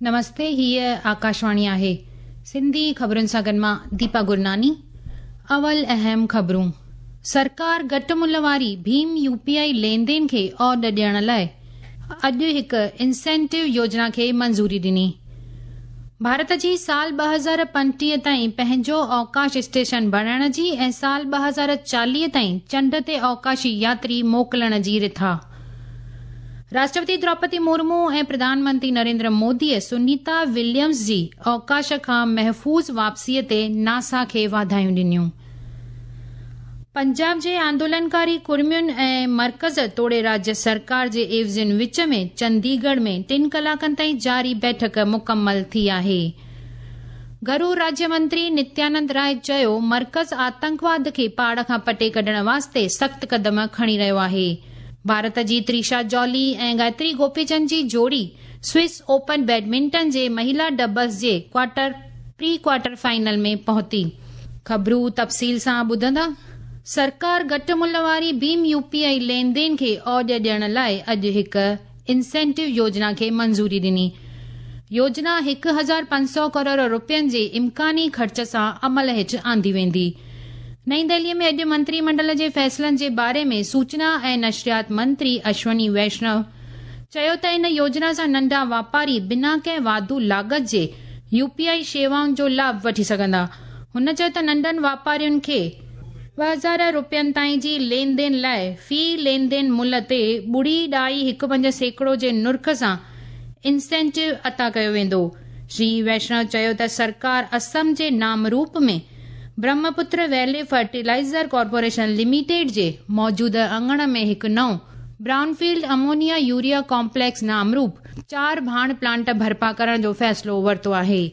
نمستي هيء آڪاشواڻي آهي سنڌي خبرن سان گڏ مان ديپا گرناني اول اهم خبرون سرڪار گهٽ ملهه واري ڀيم يو پي آء لين دين کي اوڏ ڏيڻ لاء اڄ هڪ انسينٽو يوجنا کي منظوري ڏني. ڀارت جي سال 2035 تائين پنهنجو اوڪاش اسٽيشن بڻائڻ جي ۽ سال 2040 تائين چنڊ تي اوڪاشي ياتري موڪلڻ جي رٿا. راشٽرپتي دروپدي مرمو ۽ پرڌان منتري نريندر موديء سنيتا وليمز جي اوڪاش کان محفوظ واپسيء تي ناسا کي واڌايون ڏنيون. پنجاب جي آندولنڪاري ڪڙمين ۽ مرڪز توڙي راجيه سرڪار جي عيوضين وچ ۾ چنديڳڙهه ۾ ٽن ڪلاڪن تائين جاري بيٺڪ مڪمل ٿي آهي. گهرو راجيه منتري نتيانند راء چيو مرڪز آتنڪواد کي پاڙ کان پٽي ڪڍڻ واسطي سخت قدم کڻي رهيو آهي. ڀارت جي تريشا جولي ۽ گايتري گوپيچند جي جوڙي سوئس اوپن بيڊمنٽن جي مهيلا ڊبلز جي ڪوارٽر پري ڪوارٽر فائنل ۾ پهتي. خبرون تفصيل سان ٻڌندا. سرڪار گهٽ ملهه واري ڀيم يو پي آء لين دين کي اوڄ ڏيڻ لاء اڄ هڪ انسينٽو يوجنا کي منظوري ڏني. يوجنا 1500 ڪروڙ روپين جي امڪاني خرچ سان عمل هيٺ آندي ويندي. نئين دهلي ۾ اڄ منتري منڊل جي فيصلن جي باري ۾ سوچنا ۽ نشريات منتري اشوني ويشنو چيو ته ان يوجنا سان ننڍا واپاري بنا ڪنهن واڌو لاڳت جي يو پي آء شيوائن جو لاڀ وٺي سگهندا. هن چيو ته ننڍن واپارين کي 2000 روپين تائين جي لين دين لاء في لين دين ملهه تي 0.15% جي نرخ سان انسينٽو عطا ڪيو ويندو. شري ويشنو چيو ته سرڪار اسم جي نام روپ ۾ Brahmaputra valley fertilizer corporation limited جي موجوده اڱڻ ۾ هڪ نئون brown field ammonia urea complex نامروپ چار ڀاڻ پلانٽ برپا ڪرڻ جو فيصلو ورتو آهي.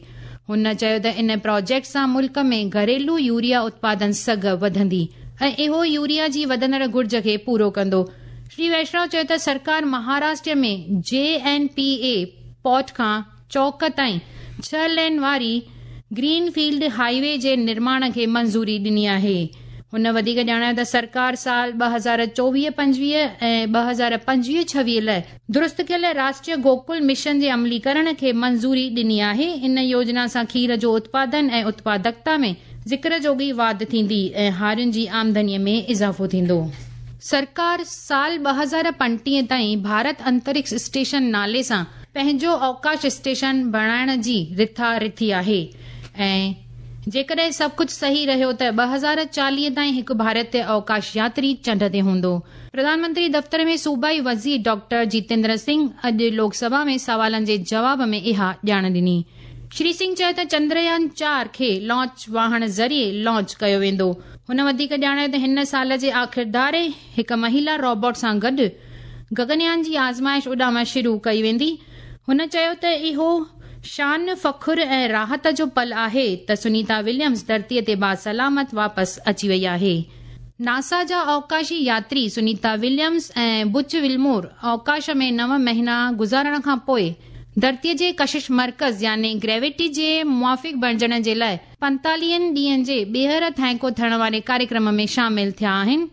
هن چيو ته ان پراجيڪٽ سان ملڪ ۾ گهريلو يوريا اتپادن سگهه وڌندي ۽ اهو يوريا جي وڌندڙ گهرج کي پورو ڪندو. شري ويشنو چيو ته سرڪار مهاراشٽر ۾ جي اين پي اي پورٽ کان چوڪ تائين ڇهه لين واري گرين فيلڊ هاء وي جي نرماڻ کي منظوري ڏني آهي. هن وڌيڪ ڄاڻايو ته سرڪار سال 2024-25 ۽ 2025-26 لاء درست ڪيل راشٽريه گوڪل مشن جي عمليڪرڻ کي منظوري ڏني آهي. ان يوجنا سان کير جو اتپادن ۽ اتپادڪتا ۾ ذڪر جوڳي واڌ ٿيندي ۽ هارين جي آمدني ۾ اضافو ٿيندو. سرڪار سال 2035 تائين ڀارت انترڪش اسٽيشن نالي سان پنهنجو اوڪاش اسٽيشن بڻائڻ جي رٿا رٿي آهي ۽ جيڪڏهن سڀ ڪجهه صحيح رهيو ته 2040 تائين هڪ ڀارتي اوڪاش ياتري چنڊ تي هوندو. پرڌان منتري دفتر ۾ صوبائي وزير ڊاڪٽر جيتيندر سنگهه اڄ لوڪ سڀا ۾ سوالن جي جواب ۾ اها ڄاڻ ڏني. شري سنگهه چيو ته چندريان 4 کي لانچ واهڻ ذريعي لانچ ڪيو ويندو. هن وڌيڪ ڄاڻايو ته هن سال جي آخر ڌاري هڪ مهيلا روبوٽ سان گڏ گگنيان جي آزمائش اڏام شروع ڪئي ويندي. هن چيو ته اهو شان، فخر ۽ راحت جو پل آهي ته سنيتا وليمز ڌرتي تي باسلامت واپس اچي وئي آهي. ناسا جا اوڪاشي ياتري سنيتا وليمز ۽ بچ ولمور اوڪاش ۾ نو مهينا گذارڻ کان پوء ڌرتي جي ڪشش مرڪز يعني گريويٽي جي موافق بڻجڻ جي لاء پنتاليهن ڏينهن جي ٻيهر ٿانيڪو ٿيڻ واري ڪاريڪرم ۾ شامل ٿيا آهن.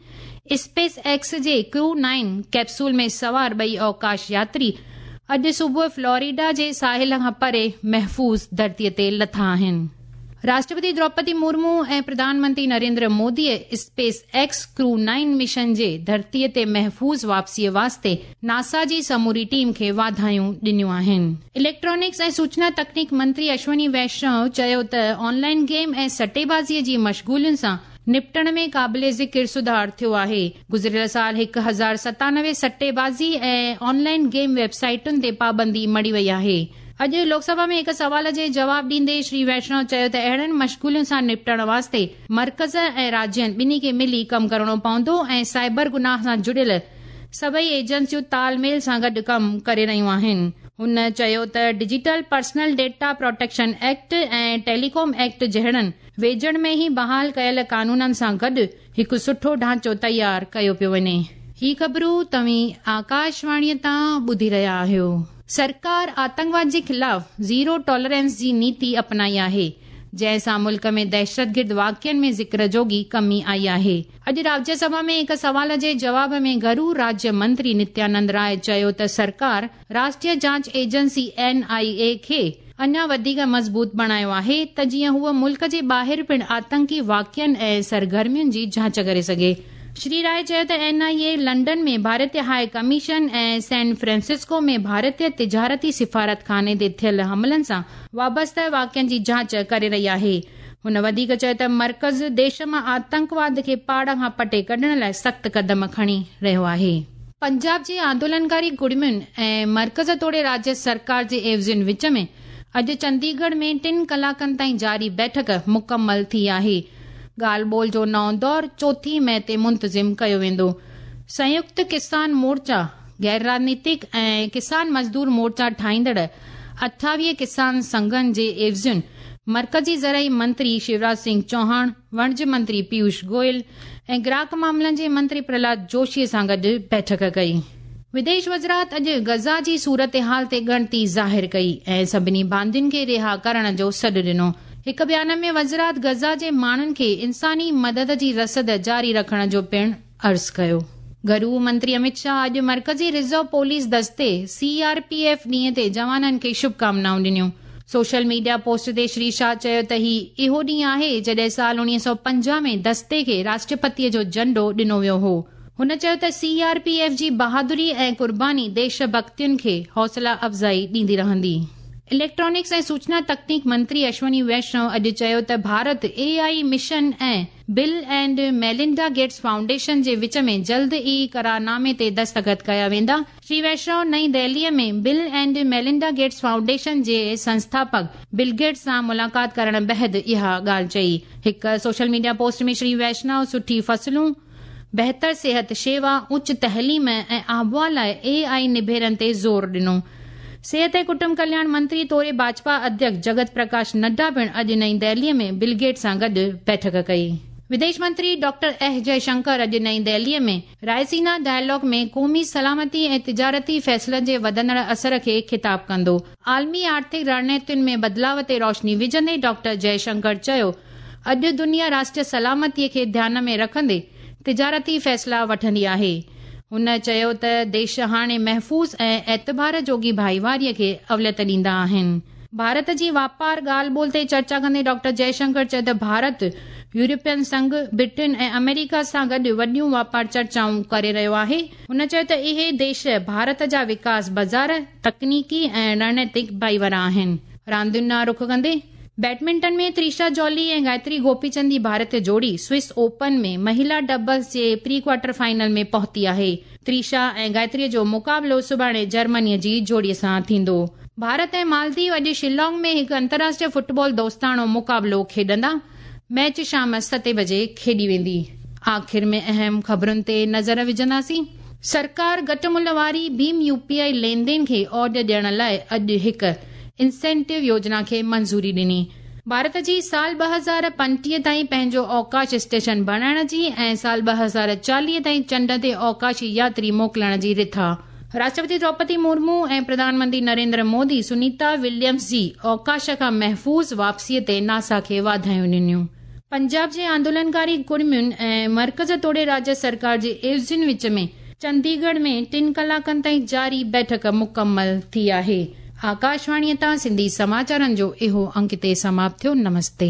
اسپيس ايڪس جي ڪرو نائن ڪيپسول ۾ سوار ٻئي اوڪاش ياتري اڄ صبح فلوريڊا جي ساحل کان پري محفوظ ڌرتي تي لٿا آهن. راشٽرپتي دروپدي مرمو ۽ پرڌان منتري نريندر موديء اسپيس ايڪس ڪرو نائن مشن جي ڌرتي تي محفوظ واپسيء واسطي ناسا جي سموري ٽيم کي واڌايون ڏنيون آهن. اليڪٽرانڪس ۽ سوچنا تڪنيڪ منتري اشوني ويشنو چيو ته آن لائن گيم ۽ سٽيبازيء جي مشغولين سان نپٽڻ ۾ قابل ذڪر سڌار ٿيو آهي. گذريل سال 1097 سٽيبازي ۽ آن لائن گيم ويب سائيٽن تي پابندي مڙهي وئي آهي. اڄ لوڪ سڀا ۾ هڪ سوال جي جواب ڏيندي شري ويشنو چيو ته اهڙن مشغولين سان نپٽڻ واسطي مرڪز ۽ راجين ٻنهي کي ملي ڪم ڪرڻو پوندو ۽ سائبر گناهه سان جڙيل سڀئي ايجنسيون تال ميل سان گڏ ڪم ڪري رهيون آهن. هن چيو ته digital personal data protection act ۽ telecom act جهڙن ويجهڙ ۾ ئي بحال ڪيل قانونن سان گڏ هڪ سٺو ڍانچو تيار ڪيو پيو وڃي. هي خبرون توهين آڪاشواڻيء تان ٻڌي رهيا آهيو. سرڪار آتنڪواد جي خلاف زيرو ٽالرنس جي نيتي اپنائي آهي. جنهن سان ملڪ ۾ دهشتگرد واقعن ۾ ذڪر جوڳي ڪمي آئي آهي. اڄ راجيه سڀا ۾ هڪ سوال جي جواب ۾ گهرو راجيه منتري نتيانند راء چيو ته سرڪار راشٽريه جاچ ايجنسي، اين آء اي، کي اڃا وڌيڪ مضبوط بڻايو آهي ته جيئن هوء ملڪ جي ٻاهر پڻ آتنڪي واقعن ۽ سرگرمين جي جاچ ڪري سگهي. شري راء چيو ته اين آء اي لنڊن ۾ ڀارتي هاء ڪميشن ۽ سين فرانسسڪو ۾ ڀارتي تجارتي سفارتخاني تي ٿيل حملن سان وابسته واقعن جي جاچ ڪري رهي آهي. هن وڌيڪ چيو ته مرڪز ديش مان آتنڪواد کي پاڙ کان پٽي ڪڍڻ لاء سخت قدم کڻي رهيو آهي. پنجاب جي آندولنڪاري ڪڙمين ۽ مرڪز توڙي راجيه سرڪار جي عيوضين وچ ۾ اڄ چنديڳڙهه ۾ ٽن ڪلاڪن تائين جاري بيٺڪ مڪمل ٿي آهي. ڳالهه ٻولهه جو نئون دور چوٿين مئي تي منتظم ڪيو ويندو. سنيڪت ڪسان مورچا، غير راڄنيتڪ ۽ ڪسان مزدور مورچا ٺاهيندڙ 28 ڪسان سنگهن جي عيوضين مرڪزي زرعي منتري شيوراج سنگهه چوهاڻ، وڻج منتري پيوش گويل ۽ گراهڪ معاملن جي منتري پرهلاد جوشي سان گڏ بيٺڪ ڪئي. وديش وزارت اڄ غزه جي صورتحال تي ڳڻتي ظاهر ڪئي ۽ سڀني باندين کي رها ڪرڻ جو سڏ ڏنو. هڪ بيان ۾ وزارت غزه جي ماڻهن کي انساني مدد جي رسد جاري رکڻ جو پڻ عرض ڪيو. گهرو منتري اميت شاهه اڄ مرڪزي رزرو پوليس دستي، سي آر پي ايف، ڏينهن تي جوانن کي شڀڪامنائون ڏنيون. سوشل ميڊيا پوسٽ تي شري شاهه چيو ته هي اهو ڏينهن آهي جڏهن سال 1950 ۾ دستي کي راشٽرپتي جو جهنڊو ڏنو ويو هو. هن چيو ته سي آر پي ايف جي بهادري ۽ قرباني ديش ڀڳتين کي حوصلا افزائي ڏيندي رهندي. اليڪٽرانڪس ۽ سوچنا تڪنيڪ منتري اشوني ويشنو اڄ چيو ته Bharat A I mission ۽ Bill and Melinda Gates foundation جي وچ ۾ جلد ئي قرارنامي تي دستخط ڪيا ويندا. شري ويشنو نئين دهليء ۾ Bill and Melinda Gates foundation جي سنسٿاپڪ بل گيٽس سان ملاقات ڪرڻ بعد اها ڳالهه چئي. هڪ social media post ۾ Shri Vaishnaw سٺي فصلون، بهتر صحت شيوا، اچ تعليم ۽ آبهوا لاء اي آء نبيرن تي زور ڏنو. صحت ۽ ڪٽنب ڪلياڻ منتري توڙي ڀاجپا اڌيڪش جڳت پرڪاش نڊا پڻ اڄ نئين دهليء ۾ بل گيٽس سان گڏ بيٺڪ ڪئي. وديش منتري ڊاڪٽر ايس جئه شنڪر اڄ نئين دهليء ۾ رائسينا ڊائلاگ ۾ قومي سلامتي ۽ تجارتي فيصلن جي وڌندڙ اثر کي خطاب ڪندو. عالمي آرٿڪ رڻنيتين ۾ بدلاء تي روشني وجهندي ڊاڪٽر جئه شنڪر چيو اڄ دنيا راشٽريه سلامتي کي ڌيان ۾ رکندي تجارتي فيصلا وٺندي آهي. هن چيو ته ديش هاڻي محفوظ ۽ اعتبار جوڳي ڀائيواري کي اوليت ڏيندا آهن. ڀارت جي واپار ڳالهه ٻولهه تي چرچا ڪندي ڊاڪٽر جئه شنڪر چيو ته ڀارت يورپين سنگهه، برٽن ۽ آمريڪا سان گڏ وڏيون واپار چرچائون ڪري رهيو آهي. هن چيو ته اهي ديش ڀارت جا وڪاس بازار، تڪنيڪي ۽ رڻنيتڪ ڀائيوار آهن. راندين ڏانهن رخ ڪندي بيڊمنٽن ۾ تريشا جولي ۽ گايتري گوپي چند جي ڀارتي جوڙي سوئس اوپن ۾ مهيلا ڊبلز جي پري ڪوارٽر فائنل ۾ پهتي آهي. تريشا ۽ گايتري جو مقابلو سڀاڻي جرمني جي جوڙي سان ٿيندو. ڀارت ۽ مالديو اڄ شيلانگ ۾ هڪ انترراشٽريه فٽبال دوستاڻو مقابلو کيڏندا. ميچ شام ستين بجي کيڏي ويندي. آخر ۾ اهم خبرن تي نظر وجهنداسين. سرڪار گهٽ ملهه واري ڀيم يو پي آء لين دين کي اوڄ ڏيڻ لاء اڄ هڪ انسينٽو يوجنا کي منظوري ڏني. ڀارت جي سال 2035 تائين پنهنجو اوڪاش اسٽيشن بڻائڻ جي ۽ سال 2040 تائين چنڊ تي اوڪاشي ياتري موڪلڻ جي رٿا. راشٽرپتي دروپدي مرمو ۽ پرڌان منتري نريندر مودي سنيتا وليمز جي اوڪاش کان محفوظ واپسي تي ناسا کي واڌايون ڏنيون. پنجاب جي آندولنڪاري ڪڙمين ۽ مرڪز توڙي راجيه سرڪار جي عيوضين وچ ۾ چنديڳڙهه ۾ ٽن ڪلاڪن تائين جاري بيٺڪ مڪمل ٿي آهي. آڪاشواڻيء تان سنڌي سماچارن جو اهو انڪ هتي سماپت ٿيو. نمستي.